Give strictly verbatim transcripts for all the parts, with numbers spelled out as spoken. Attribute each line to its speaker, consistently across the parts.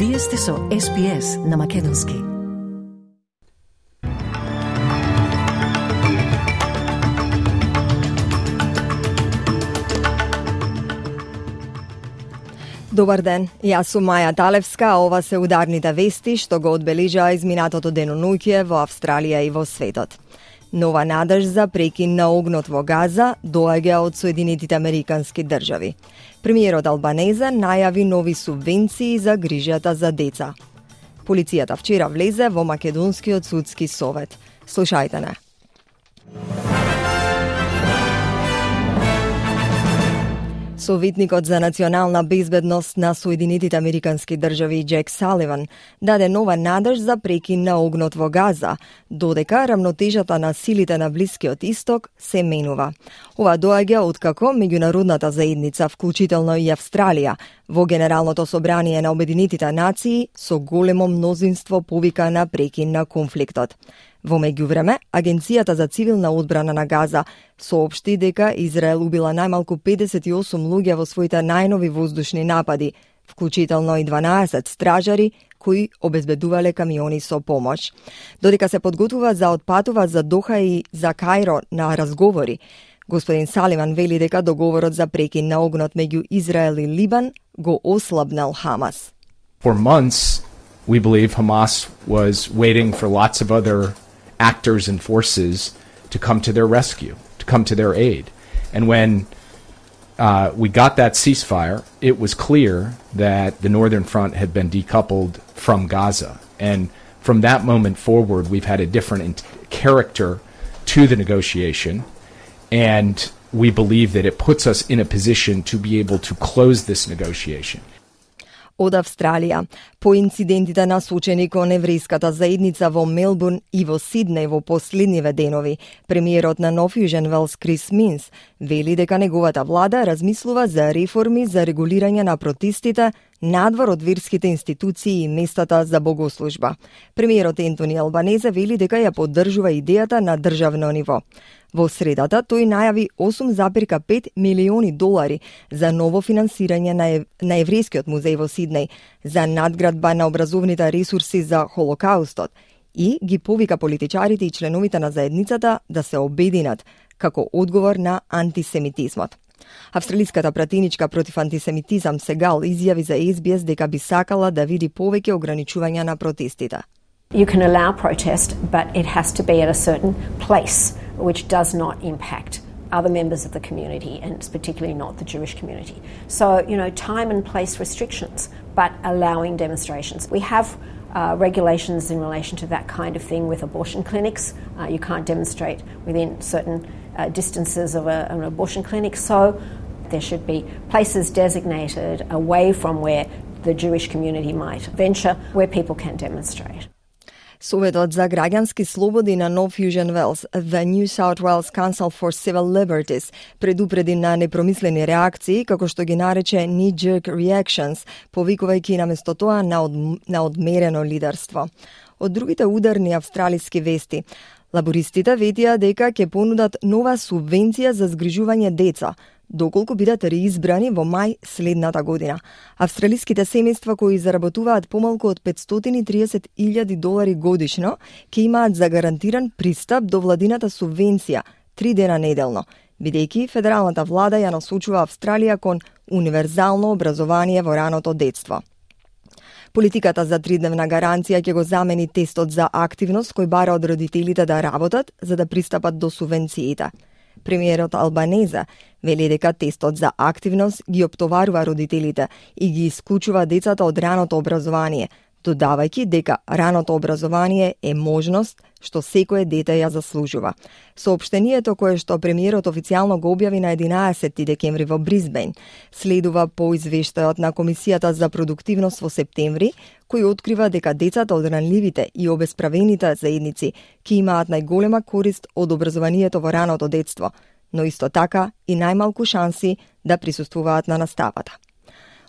Speaker 1: Вие сте со Ес Би Ес на Македонски.
Speaker 2: Добар ден, јас сум Маја Талевска, а ова се ударните вести што го одбележаа изминатото денонуќе во Австралија и во светот. Нова надеж за прекин на огнот во Газа доаѓа од Соединетите Американски држави. Премиерот Албанезе најави нови субвенции за грижата за деца. Полицијата вчера влезе во Македонскиот судски совет. Слушајте не. Советникот за национална безбедност на Соединетите Американски држави Џек Саливан даде нова надеж за прекин на огнот во Газа, додека рамнотежата на силите на Блискиот Исток се менува. Ова доаѓа откако меѓународната заедница, вклучително и Австралија, во Генералното собрание на Обединетите нации со големо мнозинство повика на прекин на конфликтот. Во меѓувреме, Агенцијата за цивилна одбрана на Газа соопшти дека Израел убила најмалку педесет и осум луѓе во своите најнови воздушни напади, вклучително и дванаесет стражари кои обезбедувале камиони со помош. Додека се подготвува за отпатува за Доха и за Кајро на разговори, господин Саливан вели дека договорот за прекин на огнот меѓу Израел и Либан го ослабнал Хамас.
Speaker 3: For months, we believe Hamas was waiting for lots of other actors and forces to come to their rescue, to come to their aid. And when uh, we got that ceasefire, it was clear that the Northern Front had been decoupled from Gaza. And from that moment forward, we've had a different character to the negotiation. And we believe that it puts us in a position to be able to close this negotiation.
Speaker 2: Од Австралија, по инцидентите насочени кон еврејската заедница во Мелбурн и во Сиднеј во последниве денови, премиерот на Нов Јужен Велс Крис Минс вели дека неговата влада размислува за реформи за регулирање на протестите надвор од верските институции и местата за богослужба. Премиерот Ентони Албанезе вели дека ја поддржува идејата на државно ниво. Во средата тој најави осум запирка пет милиони долари за ново финансирање на, ев... на еврејскиот музеј во Сиднеј, за надградба на образовните ресурси за Холокаустот и ги повика политичарите и членовите на заедницата да се обединат како одговор на антисемитизмот. Австралиската пратеничка против антисемитизам Сегал изјави за Ес Би Ес дека би сакала да види повеќе ограничувања на протестите.
Speaker 4: You can allow protest, but it has to be at a certain place which does not impact other members of the community, and it's particularly not the Jewish community. So, you know, time and place restrictions, but allowing demonstrations. We have uh, regulations in relation to that kind of thing with abortion clinics. Uh, you can't demonstrate within certain uh, distances of a, an abortion clinic, so there should be places designated away from where the Jewish community might venture, where people can demonstrate.
Speaker 2: Советот за граѓански слободи на Нов Јужен Велс, The New South Wales Council for Civil Liberties, предупреди на непромислени реакции, како што ги нарече knee-jerk reactions, повикувајќи наместо тоа на, од, на одмерено лидерство. Од другите ударни австралиски вести, лабористите ветија дека ќе понудат нова субвенција за згрижување деца, доколку бидат реизбрани во мај следната година. Австралиските семејства кои заработуваат помалку од петстотини и триесет илјади долари годишно ќе имаат загарантиран пристап до владината субвенција три дена неделно, бидејќи федералната влада ја насочува Австралија кон универзално образование во раното детство. Политиката за тридневна гаранција ќе го замени тестот за активност кој бара од родителите да работат за да пристапат до субвенциите. Премиерот Албанезе вели дека тестот за активност ги оптоварува родителите и ги исклучува децата од раното образование, додавајќи дека раното образование е можност што секое дете ја заслужува. Соопштението кое што премиерот официјално го објави на единаесети декември во Брисбејн следува по извештајот на Комисијата за продуктивност во септември, кој открива дека децата од ранливите и обесправените заедници ќе имаат најголема корист од образованието во раното детство, но исто така и најмалку шанси да присуствуваат на наставата.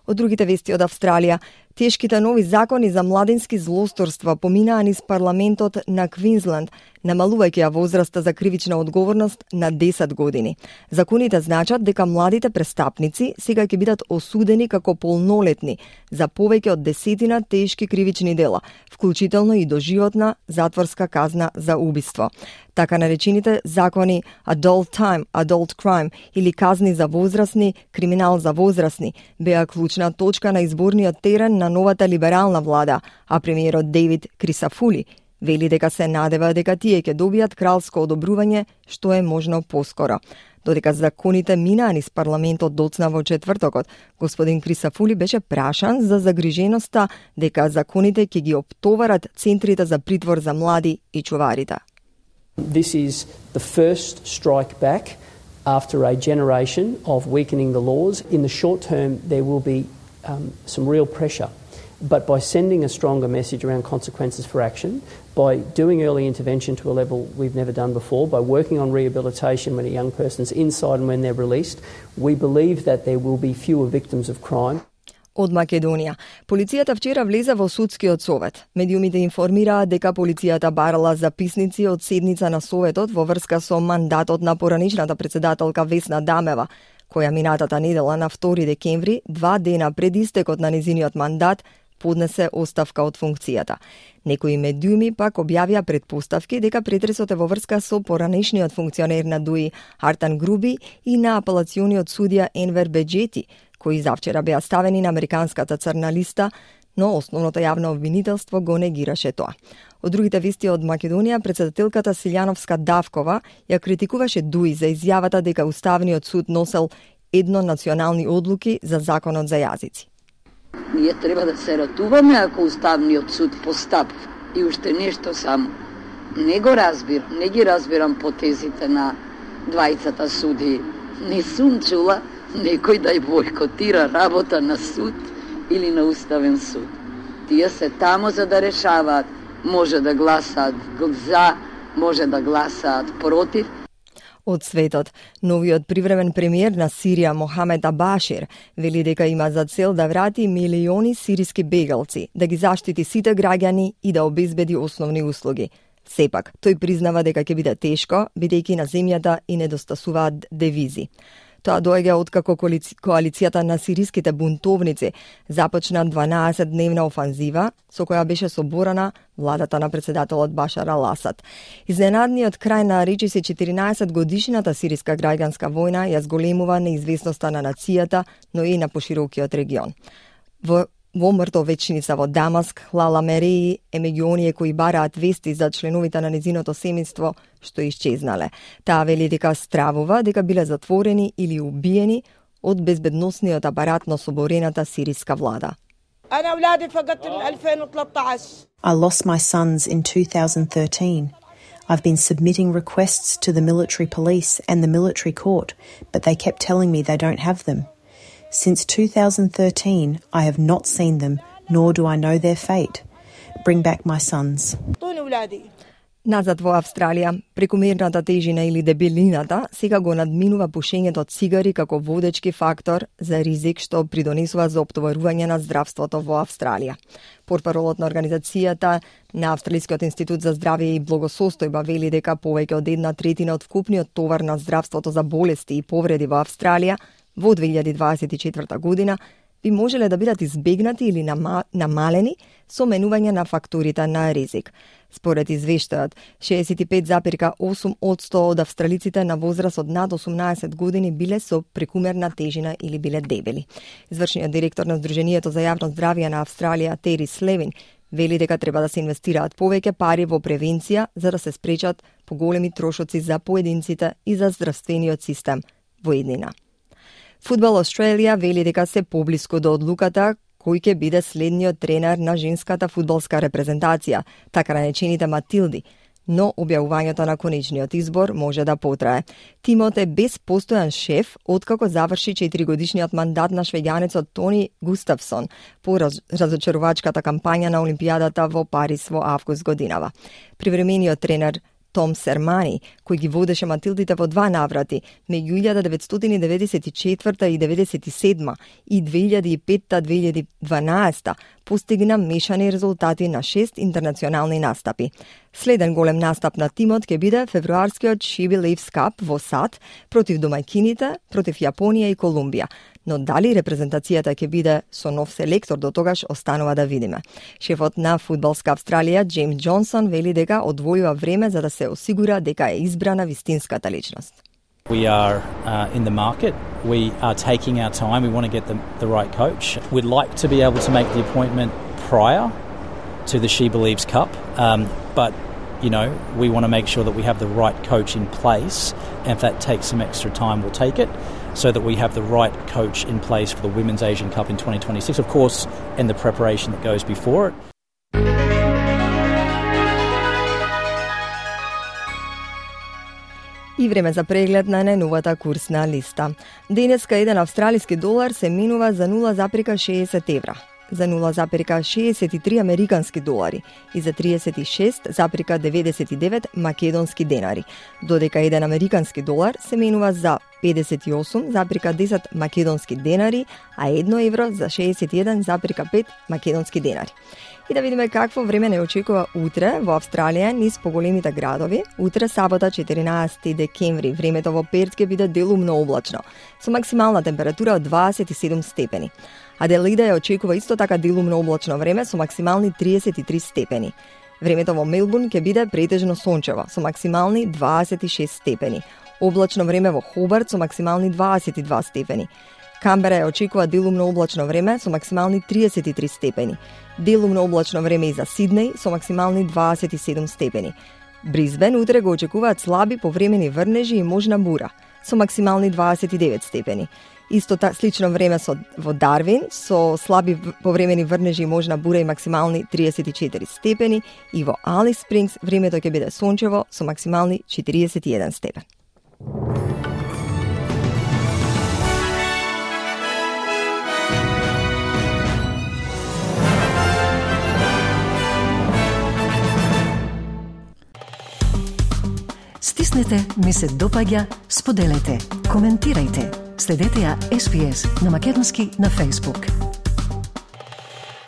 Speaker 2: Од другите вести од Австралија, Тешките нови закони за младински злосторства поминаа низ парламентот на Квинсленд, намалувајќи ја возраста за кривична одговорност на десет години. Законите значат дека младите престапници сега ќе бидат осудени како полнолетни за повеќе од десетина тешки кривични дела, вклучително и доживотна затворска казна за убиство. Така наречените закони Adult Time, Adult Crime или казни за возрастни, криминал за возрастни, беа клучна точка на изборниот терен на новата либерална влада, а премиерот Дейвид Крисафули вели дека се надева дека тие ќе добијат кралско одобрување што е можно поскоро. Додека законите минаа низ парламентот доцна во четвртокот, господин Крисафули беше прашан за загриженоста дека законите ќе ги оптоварат центрите за притвор за млади и чуварите.
Speaker 5: This is the first strike back after a generation of weakening the laws. In the short term, there will be um, some real pressure. But by sending a stronger message around consequences for action, by doing early intervention to a level we've never done before, by working on rehabilitation when a young person's inside and when they're released, we believe that there will be fewer victims of crime.
Speaker 2: Од Македонија. Полицијата вчера влезе во судскиот совет. Медиумите информираа дека полицијата барала записници од седница на советот во врска со мандатот на поранишната председателка Весна Дамева, која минатата недела на втори декември, два дена пред истекот на незиниот мандат, поднесе оставка од функцијата. Некои медиуми пак објавија предпоставки дека претресот е во врска со поранешниот функционер на ДУИ Артан Груби и на апелациониот судија Енвер Беџети, кои завчера беа ставени на американската црна листа, но основното јавно обвинителство го негираше тоа. Од другите вести од Македонија, председателката Силјановска Давкова ја критикуваше ДУИ за изјавата дека Уставниот суд носел едно национални одлуки за законот за јазици.
Speaker 6: Ние треба да се ратуваме ако Уставниот суд постапи. И уште нешто само. Не го разбирам, не ги разбирам потезите на двајцата суди. Не сум чула некој да ја бойкотира работа на суд или на Уставен суд. Тие се тамо за да решаваат. Може да гласаат за, може да гласаат против.
Speaker 2: Од светот, новиот привремен премиер на Сирија Мохамед Абашир вели дека има за цел да врати милиони сириски бегалци, да ги заштити сите граѓани и да обезбеди основни услуги. Сепак, тој признава дека ќе биде тешко, бидејќи на земјата и недостасуваат девизи. Тоа доаѓа откако коалицијата на сириските бунтовници започна дванаесетдневна офанзива со која беше соборана владата на председателот Башар ал-Асад. Изненадниот крај на речиси четиринаесет годишната сириска граѓанска војна ја зголемува неизвестноста на нацијата, но и на поширокиот регион. Во Во мртовечница во Дамаск, Лала Мереи е меѓу оние кои бараат вести за членовите на незиното семејство што исчезнале. Таа вели дека стравува дека биле затворени или убиени од безбедносниот апарат на соборената сириска влада.
Speaker 7: I lost my sons in two thousand thirteen. I've been submitting requests to the military police and the military court, but they kept telling me they don't have them. Since two thousand thirteen, I have not seen them, nor do I know their fate. Bring back my sons.
Speaker 2: Назад во Австралија, прекумерната тежина или дебелината сега го надминува пушењето цигари како водечки фактор за ризик што придонесува за оптоварување на здравството во Австралија. Портпаролот на организацијата на Австралискиот институт за здравје и благосостојба вели дека повеќе од една третина од вкупниот товар на здравството за болести и повреди во Австралија во две илјади дваесет и четврта година би можеле да бидат избегнати или намалени со менување на факторите на ризик. Според извештајот, шеесет и пет запирка осум одсто од австралиците на возраст од над осумнаесет години биле со прекумерна тежина или биле дебели. Извршниот директор на Сдруженијето за јавно здравје на Австралија, Тери Слевин, вели дека треба да се инвестираат повеќе пари во превенција за да се спречат поголеми трошоци за поединците и за здравствениот систем во иднина. Фудбал Австралија вели дека се поблиску до одлуката кој ќе биде следниот тренер на женската фудбалска репрезентација, така наречените Матилди, но објавувањето на конечниот избор може да потрае. Тимот е без постојан шеф откако заврши четиригодишниот мандат на швеѓанецот Тони Густавсон по раз, разочарувачката кампања на Олимпијадата во Париз во август годинава. Привремениот тренер Том Сермани, кој ги водеше Матилдите во два наврати, меѓу илјада деветстотини деветдесет и четврта и деветдесет и седма и две илјади и петта - две илјади и дванаеста, постигна мешани резултати на шест интернационални настапи. Следен голем настап на тимот ќе биде февруарскиот She Believes Cup во САД против домаќините, против Јапонија и Колумбија. Но дали репрезентацијата ќе биде со нов селектор до тогаш останува да видиме. Шефот на Фудбалска Австралија, Джеймс Џонсон, вели дека одвојува време за да се осигура дека е избрана вистинската личност.
Speaker 8: We are uh, in the market. We are taking our time. We want to get the, the right coach. We'd like to be able to make the appointment prior to the She Believes Cup, um, but you know, we want to make sure that we have the right coach in place, and if that takes some extra time, we'll take it, so that we have the right coach in place for the Women's Asian Cup in twenty twenty-six, of course, and the preparation that goes before it.
Speaker 2: И време за преглед на најновата курсна листа. Денеска еден австралиски долар се менува за нула запирка шеесет евра, за нула запирка шеесет и три американски долари и за триесет и шест запирка деветдесет и девет македонски денари, додека еден американски долар се менува за педесет и осум запирка десет македонски денари, а едно евро за шеесет и еден запирка пет македонски денари. И да видиме какво време не очекува утре во Австралија низ поголемите градови. Утре, сабота, четиринаесети декември, времето во Перт ќе биде делумно облачно, со максимална температура од дваесет и седум степени. Аделаида ја очекува исто така делумно облачно време со максимални триесет и три степени. Времето во Мелбурн ќе биде претежно сончево, со максимални дваесет и шест степени. Облачно време во Хобарт со максимални дваесет и два степени. Камбера ја очекува делумно облачно време со максимални триесет и три степени. Делумно облачно време и за Сиднеј со максимални дваесет и седум степени. Бризбен утре го очекуваат слаби повремени врнежи и можна бура со максимални дваесет и девет степени. Исто та слично време со во Дарвин со слаби повремени врнежи и можна бура и максимални триесет и четири степени, и во Алис Спрингс времето ќе биде сончево со максимални четириесет и еден степен.
Speaker 1: Стиснете, ми се допаѓа, споделете, коментирајте. Следете ја Ес Би Ес на македонски на Facebook.